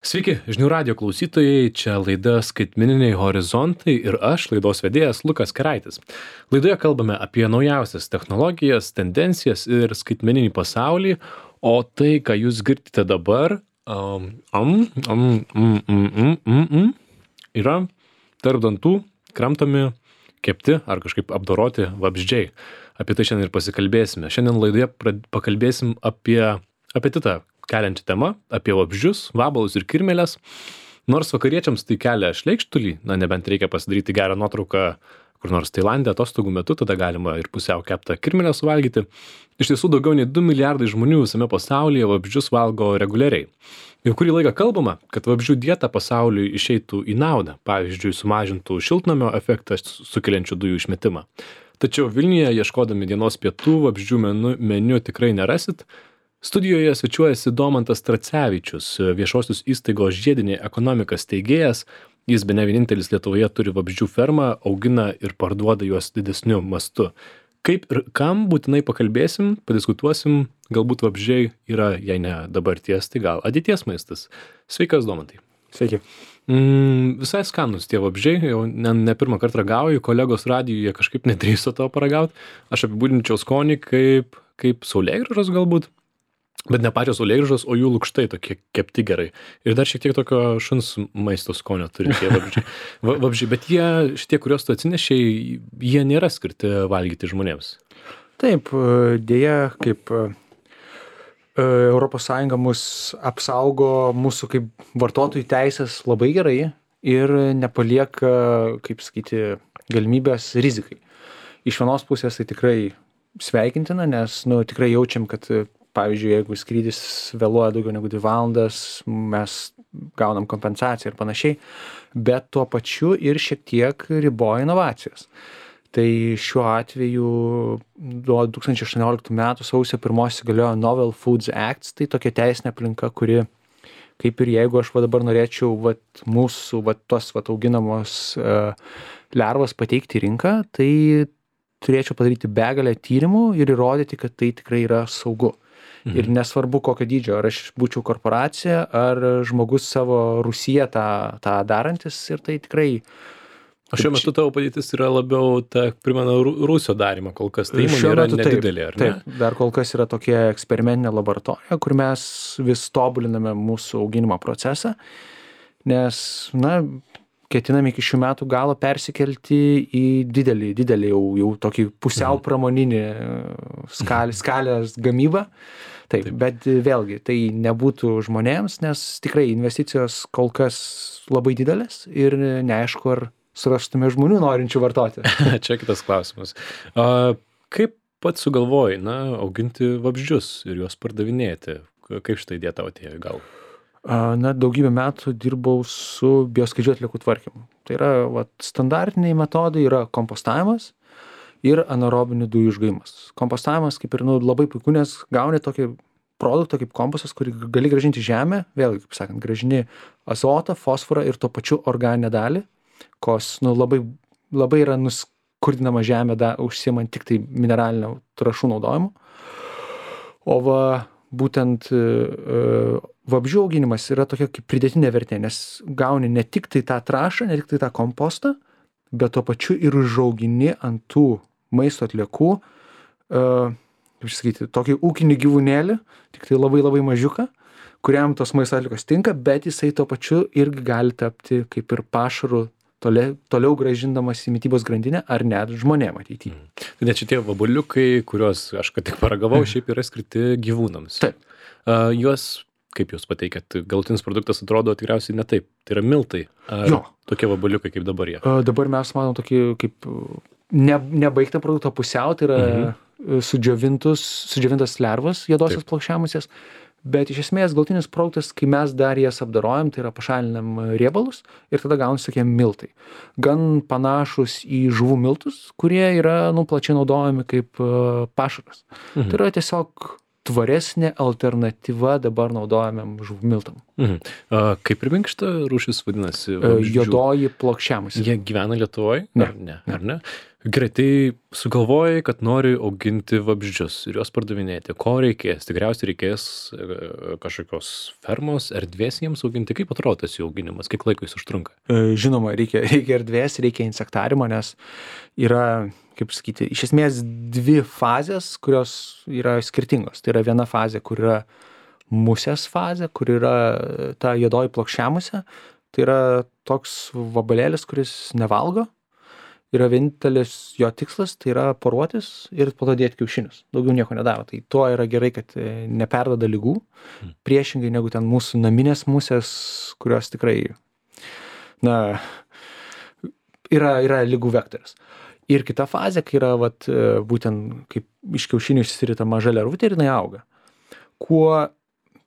Sveiki, žinių radio klausytojai, čia laida Skaitmeniniai horizontai ir aš, laidos vedėjas Lukas Keraitis. Laidoje kalbame apie naujausias technologijas, tendencijas ir skaitmeninį pasaulį, o tai, ką jūs girdite dabar, yra tarp dantų kramtomi, kepti ar kažkaip apdoroti vabzdžiai. Apie tai šiandien ir pasikalbėsime. Šiandien laidoje pakalbėsim apie apetitą keliančią temą, apie vabzdžius, vabalus ir kirmėles. Nors vakariečiams tai kelia šleikštulį, nebent reikia pasidaryti gerą nuotrauką kur nors Tailande atostogų metu, tada galima ir pusiau keptą kirmėlę suvalgyti. Iš tiesų daugiau nei 2 milijardai žmonių visame pasaulyje vabzdžius valgo reguliariai. Jau kurį laiką kalbama, kad vabzdžių dieta pasauliui išeitų į naudą, pavyzdžiui, sumažintų šiltnamio efektą sukeliančių dujų išmetimą. Tačiau Vilniuje, ieškodami dienos pietų, vabzdžių meniu tikrai nerasit. Studijoje svečiuojasi Domantas Tracevičius, viešosios įstaigos žiedinė ekonomika steigėjas. Jis bene vienintelis Lietuvoje turi vabzdžių fermą, augina ir parduoda juos didesniu mastu. Kaip ir kam būtinai pakalbėsim, padiskutuosim, galbūt vabzdžiai yra, jei ne dabarties, tai gal ateities maistas. Sveikas, Domantai. Sveiki. Visai skanus tie vabzdžiai, jau ne pirmą kartą ragauju, kolegos radijuje kažkaip nedrįso to paragauti. Aš apibūdinčiau skonį kaip saulėgrąžos galbūt. Bet ne pačios saulėgrąžos, o jų lukštai tokie kepti gerai. Ir dar šiek tiek tokio šuns maisto skonio turi tie vabzdžiai. Bet šitie, kuriuos tu atsinešei, jie nėra skirti valgyti žmonėms. Taip, dėja, kaip ES mus apsaugo mūsų kaip vartotojų teisės labai gerai ir nepalieka, kaip sakyti, galimybės rizikai. Iš vienos pusės tai tikrai sveikintina, nes tikrai jaučiam, kad pavyzdžiui, jeigu skrydis vėluoja daugiau negu 2 valandas, mes gaunam kompensaciją ir panašiai, bet tuo pačiu ir šiek tiek riboja inovacijos. Tai šiuo atveju nuo 2018 metų sausio 1 įsigaliojo Novel Foods Act, tai tokia teisinė aplinka, kuri, kaip ir jeigu aš dabar norėčiau mūsų tos auginamos lervas pateikti į rinką, tai turėčiau padaryti begalę tyrimų ir įrodyti, kad tai tikrai yra saugu. Ir nesvarbu kokio dydžio, ar aš būčiau korporacija, ar žmogus savo rūsyje tą darantis, ir tai tikrai... O šiuo metu tavo padėtis yra labiau, primena rūsio darymą kol kas, tai įmonė yra nedidelė, ar ne? Taip, dar kol kas yra tokia eksperimentinė laboratorija, kur mes vis tobuliname mūsų auginimo procesą, nes, ketiname iki šių metų galo persikelti į didelį jau tokį pusiau pramoninį skalės gamybą. Taip, bet vėlgi, tai nebūtų žmonėms, nes tikrai investicijos kol kas labai didelės ir neaišku, ar surastume žmonių norinčių vartoti. Čia kitas klausimas. Kaip pats sugalvojai, auginti vabzdžius ir juos pardavinėti? Kaip štai idėja tau atėjo į galvą? Daugybę metų dirbau su bioskaidžių atliekų tvarkymu. Tai yra standartiniai metodai, yra kompostavimas ir anaerobinių dujų išgavimas. Kompostavimas kaip ir labai puiku, nes gauni tokį produktą kaip kompostas, kurį gali grąžinti žemę, vėlgi, kaip sakant, grąžini azotą, fosforą ir tuo pačiu organinę dalį, kos labai yra nuskurdinama žemė, užsiimant tik tai mineralinio trąšų naudojimu. O būtent vabzdžių auginimas yra tokia kaip pridėtinė vertė, nes gauni ne tik tai tą trąšą, ne tik tai tą kompostą, bet tuo pačiu ir užaugini ant tų maisto atliekų, kaip sakyti, tokį ūkinį gyvūnėlį, tik tai labai labai mažiuką, kuriam tos maisto atliekos tinka, bet jisai tuo pačiu irgi gali tapti kaip ir pašaru toliau grąžindamas į mitybos grandinę ar net žmonėm ateityje. Tai net šitie vabaliukai, kuriuos aš tik paragavau, šiaip yra skirti gyvūnams. Taip. Kaip jūs pateikėt, galutinis produktas atrodo tikriausiai ne taip. Tai yra miltai. Tokie vabaliukai kaip dabar jie. Dabar mes matom tokį kaip nebaigtą produktą pusiau, tai yra sudžiovintas lervas, juodosios plokščiamusės. Bet iš esmės galutinis produktas, kai mes dar jas apdorojam, tai yra pašalinam riebalus ir tada gaunasi tokie miltai. Gan panašus į žuvų miltus, kurie yra plačiai naudojami kaip pašaras. Tai yra tiesiog tvaresnė alternatyva dabar naudojamiem žuvų miltam. Kaip ir minkšta rūšis vadinasi? Juodoji plokščiamusė. Jie gyvena Lietuvoje? Ne. Ar ne? Gerai, tai sugalvojai, kad nori auginti vabzdžius ir juos pardavinėti. Ko reikės? Tikriausiai reikės kažkokios fermos, erdvės jiems auginti. Kaip atrodo tas jų auginimas? Kiek laiko jis užtrunka? Žinoma, reikia erdvės, reikia insektarimo, nes yra, kaip sakyti, iš esmės dvi fazės, kurios yra skirtingos. Tai yra viena fazė, kur yra musės fazė, kur yra ta juodoji plokščiamusė. Tai yra toks vabalėlis, kuris nevalgo. Yra vienintelis jo tikslas, tai yra poruotis ir po to dėti kiaušinius. Daugiau nieko nedaro. Tai tuo yra gerai, kad neperduoda ligų. Priešingai negu ten mūsų naminės musės, kurios tikrai, yra ligų vektorius. Ir kita fazė, kai yra būtent kaip iš kiaušinių išsirita maža lervutė ir jinai auga.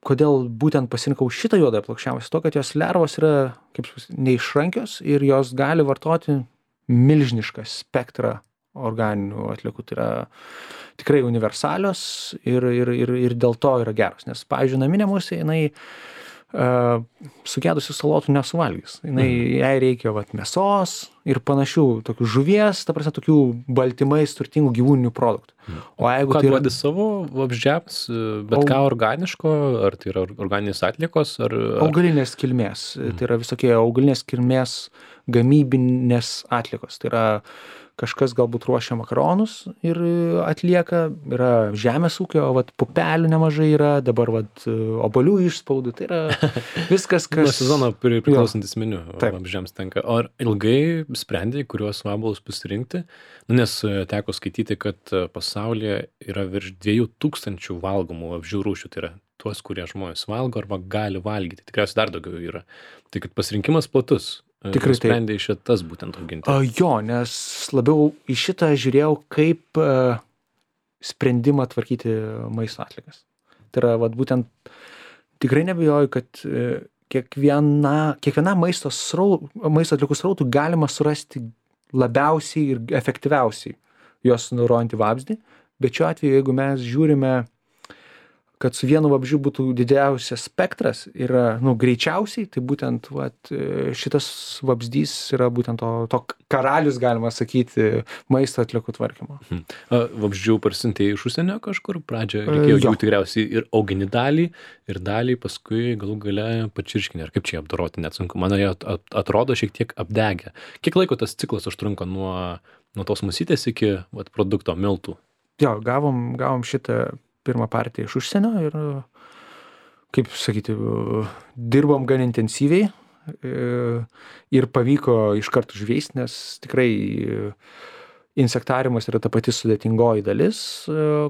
Kodėl būtent pasirinkau šitą juodą plokščiamusę? To, kad jos lervos yra kaip neišrankios ir jos gali vartoti milžinišką spektrą organinių atliekų. Tai yra tikrai universalios ir dėl to yra geros. Nes, pavyzdžiui, naminė musė, jinai sugedusių salotų nesuvalgys. Jai reikia mėsos ir panašių tokių žuvies, ta prasme, tokių baltymais turtingų gyvūninių produktų. O jeigu ką duodi savo vabzdžiams, bet ką organiško, ar tai yra organinės atliekos, ar... Augalinės kilmės. Tai yra visokie augalinės kilmės gamybinės atliekos. Tai yra kažkas galbūt ruošia makaronus ir atlieka, yra žemės ūkio, pupelių nemažai yra, dabar obuolių išspaudų, tai yra viskas, kas... Nuo sezono priklausantis meniu vabzdžiams tenka. Ar ilgai sprendei, kuriuos vabalus pasirinkti? Nes teko skaityti, kad pasaulyje yra virš 2000 valgomų vabzdžių rūšių, tai yra tuos, kurie žmonės valgo arba gali valgyti. Tikriausiai dar daugiau yra. Tai kad pasirinkimas platus. Tikrai sprendė šitas būtent auginti. Jo, nes labiau į šitą žiūrėjau kaip sprendimą tvarkyti maisto atliekas. Tai yra, būtent tikrai nebijoju, kad kiekviena maisto atliekų srautų galima surasti labiausiai ir efektyviausiai juos naudojantį vabzdį, bet šiuo atveju, jeigu mes žiūrime, kad su vienu vabzdžiu būtų didžiausias spektras ir greičiausiai, tai būtent šitas vabzdys yra būtent to karalius, galima sakyti, maisto atliekų tvarkymo. Vabzdžių parsintėjai iš užsienio kažkur pradžioje? Reikėjo jų tikriausiai ir augini dalį, ir dalį paskui galų gale pačirškinį. Ar kaip čia apdoroti, net sunku. Man jie atrodo šiek tiek apdegę. Kiek laiko tas ciklas užtrunka nuo tos musytės iki produkto miltų? Jo, gavom šitą pirmą partiją iš užsienio ir, kaip sakyti, dirbom gan intensyviai ir pavyko iš karto užveisti, nes tikrai insektariumas yra ta pati sudėtingoji dalis,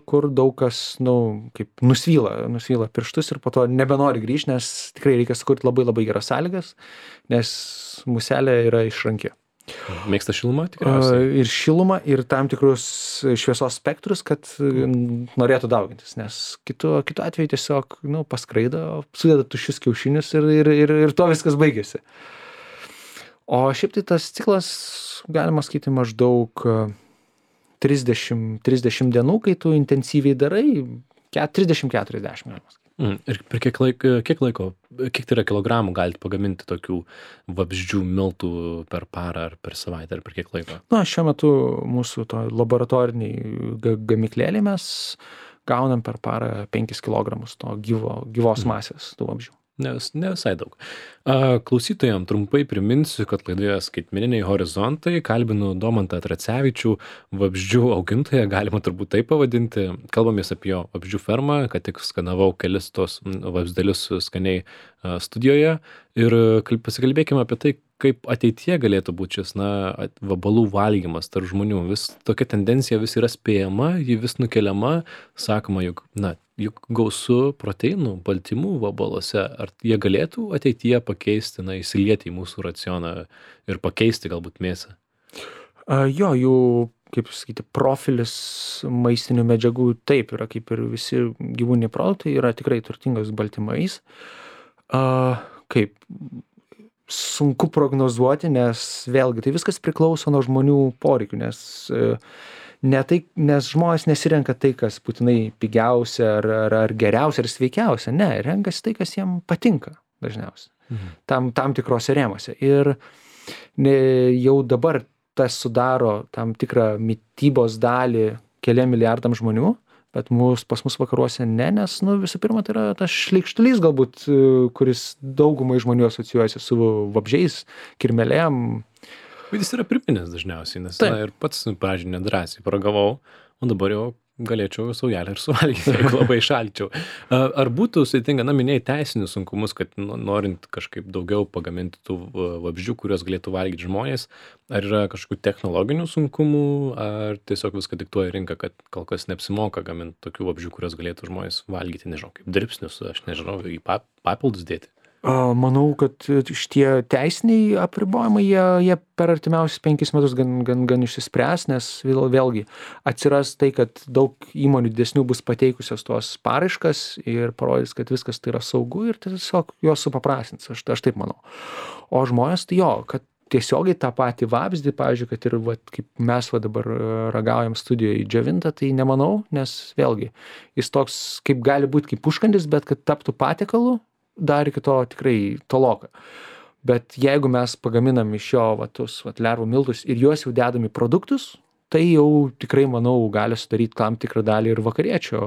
kur daug kas, kaip nusvyla pirštus ir po to nebenori grįžti, nes tikrai reikia sukurti labai labai geras sąlygas, nes muselė yra išranki. Mėgsta šilumą tikriausiai? Ir šilumą, ir tam tikrus šviesos spektrus, kad norėtų daugintis, nes kitu atveju tiesiog paskraido, sudeda tuščius kiaušinius ir to viskas baigėsi. O šiaip tai tas ciklas, galima sakyti, maždaug 30 dienų, kai tu intensyviai darai, 30-40 galima sakyti. Ir per kiek laiko, kiek tai yra kilogramų galite pagaminti tokių vabzdžių miltų per parą ar per savaitę, ar per kiek laiko? Šiuo metu mūsų laboratoriniai gamyklėlė mes gaunam per parą 5 kilogramus to gyvos masės tų vabzdžių. Ne visai daug. Klausytojams trumpai priminsiu, kad laidoje Skaitmeniniai horizontai kalbinu Domantą Tracevičių, vabzdžių augintoją, galima turbūt taip pavadinti. Kalbamės apie jo vabzdžių fermą, kad tik skanavau kelis tos vabzdelius skaniai studijoje ir pasikalbėkime apie tai, kaip ateityje galėtų būti šis vabalų valgymas tarp žmonių. Vis tokia tendencija vis yra spėjama, ji vis nukeliama, sakoma, juk gausu proteinų, baltymų vabaluose. Ar jie galėtų ateityje pakeisti, įsilieti į mūsų racioną ir pakeisti galbūt mėsą? Jų, kaip sakyti, profilis maistinių medžiagų taip yra, kaip ir visi gyvūniniai produktai, yra tikrai turtingas baltymais. Kaip sunku prognozuoti, nes vėlgi tai viskas priklauso nuo žmonių poreikių, nes žmonės nesirenka tai, kas būtinai pigiausia ar geriausia ar sveikiausia. Ne, renkasi tai, kas jiem patinka dažniausiai. Tam tikrose rėmose. Ir jau dabar tas sudaro tam tikrą mitybos dalį keliem milijardam žmonių, bet pas mus vakaruose ne, nes, nu, visų pirma, tai yra tas šleikštulys galbūt, kuris daugumai žmonių asocijuojasi su vabzdžiais, kirmėlėm. Bet jis yra priminęs dažniausiai, nes Taip. na, ir pats, pradžioj nedrąsiai paragavau, o dabar jau galėčiau saujelę ir suvalgyti, jeigu labai šalčiau. Ar būtų sudėtinga, na, minėjai teisinius sunkumus, kad norint kažkaip daugiau pagaminti tų vabzdžių, kuriuos galėtų valgyti žmonės, ar yra kažkokių technologinių sunkumų, ar tiesiog viską diktuoja rinka, kad kol kas neapsimoka gaminti tokių vabzdžių, kuriuos galėtų žmonės valgyti, nežinau, kaip dirbsnius, aš nežinau, į papildus dėti? Manau, kad šitie teisiniai apribojimai, jie per artimiausius 5 metus gan išsispręs, nes vėlgi atsiras tai, kad daug įmonių didesnių bus pateikusios tuos paraiškas ir parodys, kad viskas tai yra saugu ir tiesiog juos supaprastins. Aš taip manau. O žmonės tai kad tiesiogiai tą patį vabzdį, pavyzdžiui, kad ir kaip mes dabar ragaujam studijoje džiovintą, tai nemanau, nes vėlgi jis toks, kaip gali būti kaip užkandis, bet kad taptų patiekalu, dar iki to tikrai toloka. Bet jeigu mes pagaminam iš jo tus lervų miltus ir juos jau dedam į produktus, tai jau tikrai, manau, gali sudaryti tam tikrą dalį ir vakariečio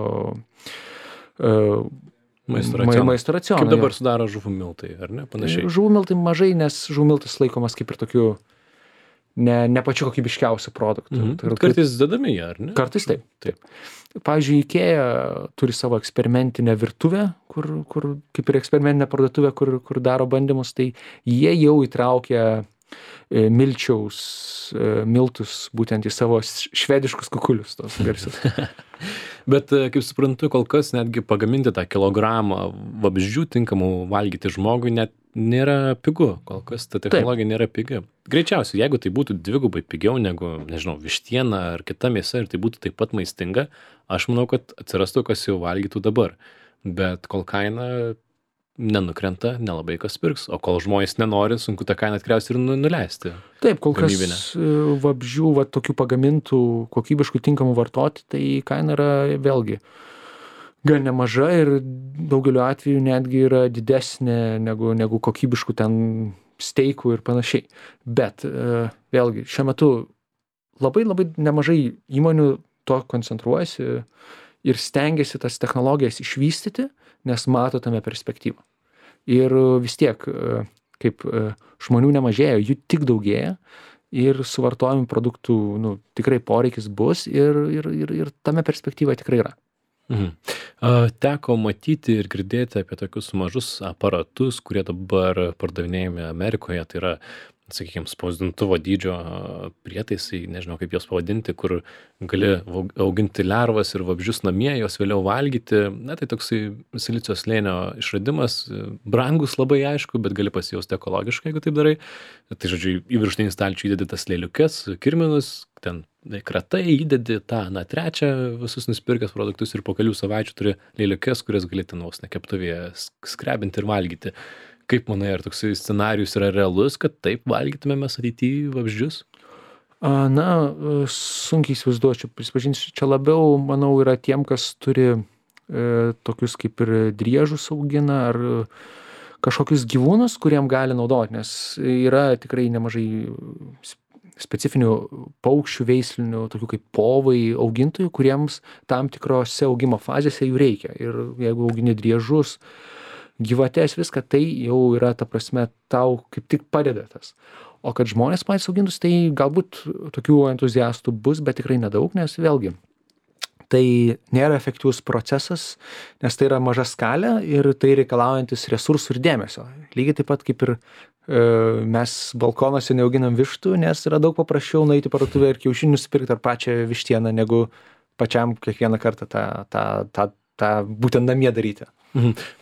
maisto raciono. Kaip dabar sudaro žuvų miltai, ar ne? Panašiai. Žuvų miltai mažai, nes žuvų miltas laikomas kaip ir tokiu ne pačiu kokybiškiausiu produktu. Kartais dedami jie, ar ne? Kartais taip. Pavyzdžiui, IKEA turi savo eksperimentinę virtuvę, kur kaip ir eksperimentinę parduotuvę, kur daro bandymus, tai jie jau įtraukia miltus būtent į savo švediškus kukulius, tos garsius. Bet, kaip suprantu, kol kas netgi pagaminti tą kilogramą vabzdžių tinkamų valgyti žmogui net nėra pigu. Kol kas ta technologija nėra pigi. Greičiausiai, jeigu tai būtų dvigubai pigiau negu, nežinau, vištiena ar kita mėsa ir tai būtų taip pat maistinga, aš manau, kad atsirastų, kas jau valgytų dabar. Bet kol kaina nenukrenta, nelabai kas pirks. O kol žmonės nenori, sunku tą kainą tikriausiai ir nuleisti. Taip, kol kas vabzdžių tokių pagamintų, kokybiškų, tinkamų vartoti, tai kaina yra vėlgi gan nemaža ir daugeliu atveju netgi yra didesnė negu kokybiškų ten steikų ir panašiai. Bet vėlgi, šiuo metu labai nemažai įmonių to koncentruojasi ir stengiasi tas technologijas išvystyti, nes mato tame perspektyvą. Ir vis tiek, kaip žmonių nemažėja, jų tik daugėja ir suvartojami produktų tikrai poreikis bus ir tame perspektyva tikrai yra. Teko matyti ir girdėti apie tokius mažus aparatus, kurie dabar pardavinėjami Amerikoje, tai yra, sakykime, spausdintuvo dydžio prietaisai, nežinau kaip juos pavadinti, kur gali auginti lervas ir vabzdžius namie, juos vėliau valgyti. Na, tai toksai silicio slėnio išradimas, brangus labai aišku, bet gali pasijausti ekologiškai, jeigu taip darai. Tai, žodžiu, į viršutinį stalčių įdedi tas lėliukes, kirminus, ten kratai, įdedi tą, trečią visus nusipirkęs produktus ir po kelių savaičių turi lėliukes, kurias gali ten vos nekeptuvėje skrebinti ir valgyti. Kaip manai, ar toksai scenarijus yra realus, kad taip valgytume mes ateityje vabzdžius? Sunkiai įsivaizduočiau, prisipažinsiu, čia labiau, manau, yra tiem, kas turi tokius kaip ir driežus augina ar kažkokius gyvūnus, kuriem gali naudoti, nes yra tikrai nemažai specifinių paukščių veislinių, tokių kaip povai augintojų, kuriems tam tikrose augimo fazėse jų reikia. Ir jeigu augini driežus, gyvatės, viską, tai jau yra, ta prasme, tau kaip tik padeda tas. O kad žmonės patys augintus, tai galbūt tokių entuziastų bus, bet tikrai nedaug, nes vėlgi, tai nėra efektyvus procesas, nes tai yra maža skalė ir tai reikalaujantis resursų ir dėmesio. Lygiai taip pat kaip ir mes balkonuose neauginam vištų, nes yra daug paprasčiau nueiti į parduotuvę ir kiaušinių nusipirkti ar pačią vištieną, negu pačiam kiekvieną kartą tą būtent namie daryti.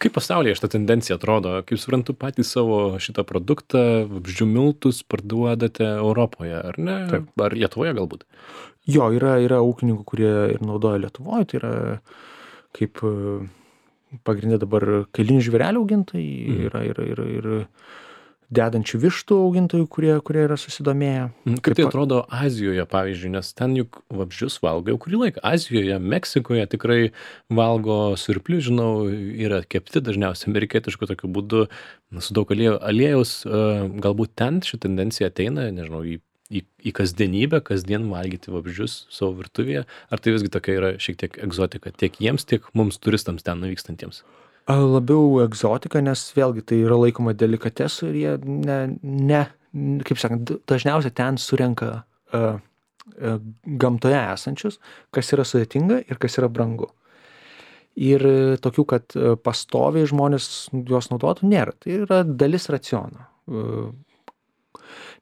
Kaip pasaulyje šita tendencija atrodo? Kaip suprantu, patys savo šitą produktą, vabzdžių miltus parduodate Europoje, ar ne? Taip. Ar Lietuvoje galbūt? Jo, yra ūkininkų, kurie ir naudoja Lietuvoje, tai yra kaip pagrindė dabar kailinių žvėrelių augintojai, yra ir dedančių vištų augintojų, kurie yra susidomėję. Kaip tai atrodo Azijoje, pavyzdžiui, nes ten juk vabzdžius valgo jau kurį laiką. Azijoje, Meksikoje tikrai valgo sirplius, žinau, yra kepti dažniausiai amerikietišku tokiu būdu, su daug aliejaus, galbūt ten ši tendencija ateina, nežinau, į į kasdienybę, kasdien valgyti vabzdžius savo virtuvėje, ar tai visgi tokia yra šiek tiek egzotika tiek jiems, tiek mums turistams ten nuvykstantiems? Labiau egzotika, nes vėlgi tai yra laikoma delikatesu ir jie kaip sakant, dažniausiai ten surenka gamtoje esančius, kas yra sudėtinga ir kas yra brangu. Ir tokių, kad pastoviai žmonės juos naudotų, nėra. Tai yra dalis raciono.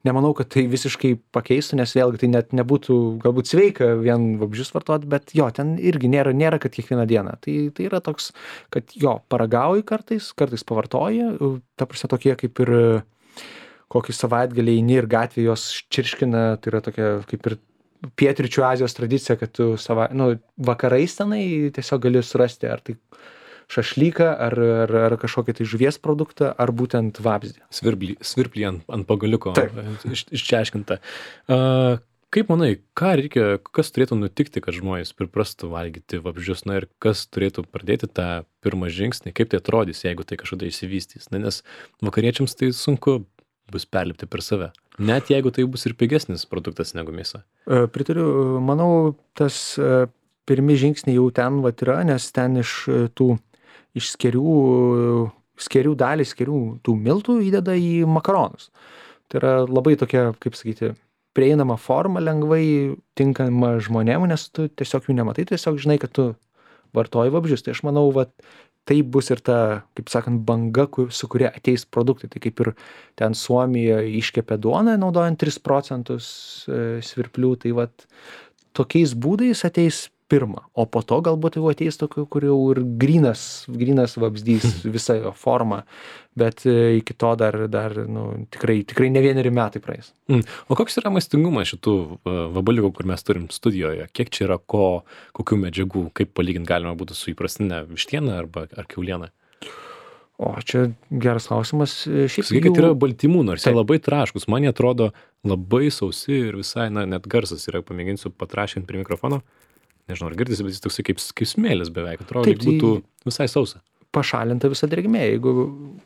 Nemanau, kad tai visiškai pakeistų, nes vėlgi tai net nebūtų galbūt sveika vien vabzdžius vartoti, bet jo, ten irgi nėra, kad kiekvieną dieną. Tai yra toks, kad jo, paragauji kartais pavartoji, ta prasme tokie kaip ir kokį savaitgalį eini ir gatvėje jos čirškina, tai yra tokia kaip ir pietryčių Azijos tradicija, kad tu vakarais tenai tiesiog gali surasti, ar tai šašlyką, ar kažkokį tai žuvies produktą, ar būtent vabzdį. Svirplį ant pagaliuko iščiaiškinta. Kaip manai, kas turėtų nutikti, kad žmonės priprastų valgyti vabzdžius, ir kas turėtų pradėti tą pirmą žingsnį, kaip tai atrodys, jeigu tai kažkada išsivystys? Nes vakariečiams tai sunku bus perlipti per save. Net jeigu tai bus ir pigesnis produktas negu mėsa. Pritariu, manau, tas pirmi žingsniai jau ten yra, nes ten iš skėrių dalį, tų miltų įdeda į makaronus. Tai yra labai tokia, kaip sakyti, prieinama forma, lengvai tinkama žmonėm, nes tu tiesiog jų nematai, tiesiog žinai, kad tu vartoji vabzdžius. Tai aš manau, tai bus ir ta, kaip sakant, banga, su kuria ateis produktai. Tai kaip ir ten Suomijoje iškepė duoną, naudojant 3% svirplių, tai tokiais būdais ateis pirma, o po to galbūt jau ateis tokių, kur jau ir grynas vabzdys visą jo formą, bet iki to dar tikrai ne vieneri metai praeis. O koks yra maistingumas šitų vabaliukų, kur mes turim studijoje? Kiek čia yra kokių medžiagų, kaip palyginti galima būtų su įprastinė vištiena ar kiauliena? O čia geras klausimas. Sakai, kad yra baltymų, nors jie labai traškus. Man jie atrodo labai sausi ir visai, net garsas yra, pamėginsiu patraškinti prie mikrofono. Nežinau, ar girdisi, bet jis toksai kaip smėlis beveik, atrodo, lyg būtų visai sausa. Pašalinta visa drėgmė, jeigu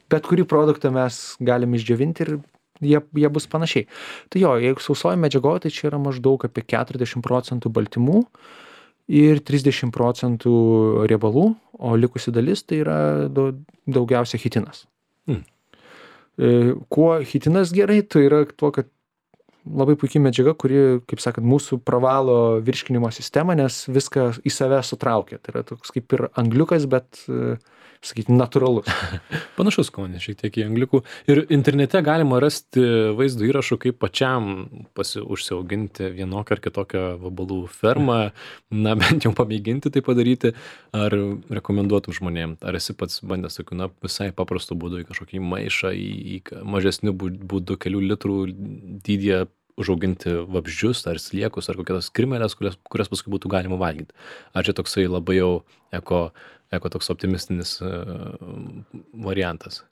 bet kurį produktą mes galim išdžiovinti ir jie bus panašiai. Tai jo, jeigu sausoji medžiagoje, tai čia yra maždaug apie 40% baltymų ir 30% riebalų, o likusi dalis tai yra daugiausia chitinas. Kuo chitinas gerai, tai yra tuo, kad labai puikiai medžiaga, kuri, kaip sakant, mūsų pravalo virškinimo sistemą, nes viską į save sutraukia. Tai yra toks kaip ir angliukas, bet, sakyti, natūralus. Panašus skonis šiek tiek į angliukų. Ir internete galima rasti vaizdo įrašų, kaip pačiam užsiauginti vienokią ar kitokią vabalų fermą, bent jau pamėginti tai padaryti. Ar rekomenduotum žmonėm? Ar esi pats bandęs tokiu, visai paprastu būdu į kažkokį maišą, į mažesnių būdų kelių litrų dydyje užauginti vabzdžius, ar sliekus, ar kokias krimelės, kurias paskui būtų galima valgyti. Ar čia toksai labai jau eko toks optimistinis variantas?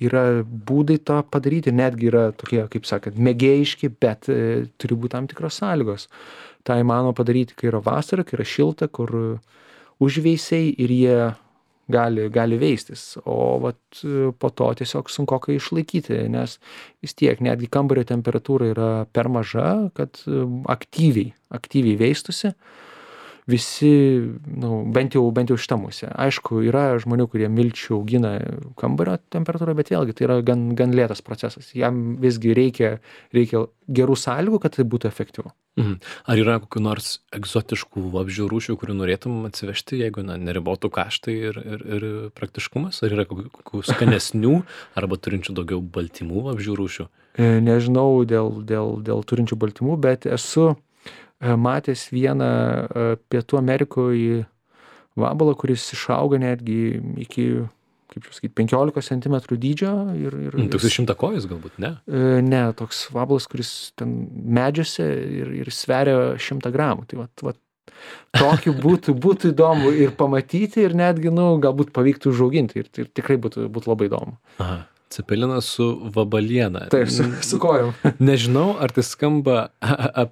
Yra būdai to padaryti, netgi yra tokie, kaip sakant, mėgėjiški, bet turi būti tam tikros sąlygos. Tai įmanoma padaryti, kai yra vasara, kai yra šilta, kur užveisiai ir jie gali veistis, o po to tiesiog sunkokai išlaikyti, nes vis tiek netgi kambario temperatūra yra per maža, kad aktyviai veistusi. Visi, bent jau šitamuose. Aišku, yra žmonių, kurie milčių augina kambario temperatūrą, bet vėlgi tai yra gan lėtas procesas. Jam visgi reikia gerų sąlygų, kad tai būtų efektyvu. Ar yra kokių nors egzotiškų vabzdžių rūšių, kurių norėtum atsivežti, jeigu neribotų kaštai ir praktiškumas? Ar yra kokių skanesnių arba turinčių daugiau baltymų vabzdžių rūšių? Nežinau dėl turinčių baltymų, bet esu matęs vieną Pietų Amerikoje vabalą, kuris išauga netgi iki, kaip čia sakyti, 15 cm dydžio. Toks 100 kojus galbūt, ne? Ne, toks vabalas, kuris ten medžiuose ir sveria 100 gramų. Tai tokį būtų įdomu ir pamatyti, ir netgi, galbūt pavyktų užauginti. Ir tikrai būtų labai įdomu. Aha. Cepelinas su vabaliena. Taip, su kojom. Nežinau, ar tai skamba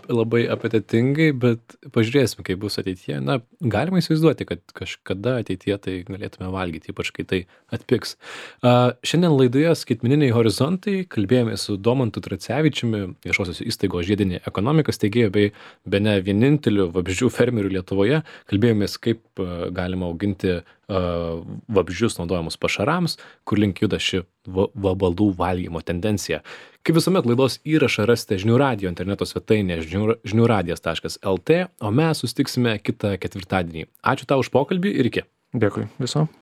labai apetitingai, bet pažiūrėsim, kaip bus ateityje. Na, galima įsivaizduoti, kad kažkada ateityje tai galėtume valgyti, ypač kai tai atpigs. Šiandien laidoje Skaitmeniniai horizontai kalbėjome su Domantu Tracevičiumi, viešosios įstaigos Žiedinė ekonomika steigėju bei bene vieninteliu vabzdžių fermeriu Lietuvoje. Kalbėjomės, kaip galima auginti vabzdžius naudojamus pašarams, kur link juda ši vabalų valgymo tendencija. Kaip visuomet, laidos įrašą rasite žinių radijo interneto svetainėje žiniųradijas.lt, o mes susitiksime kitą ketvirtadienį. Ačiū tau už pokalbį ir iki. Dėkui viso.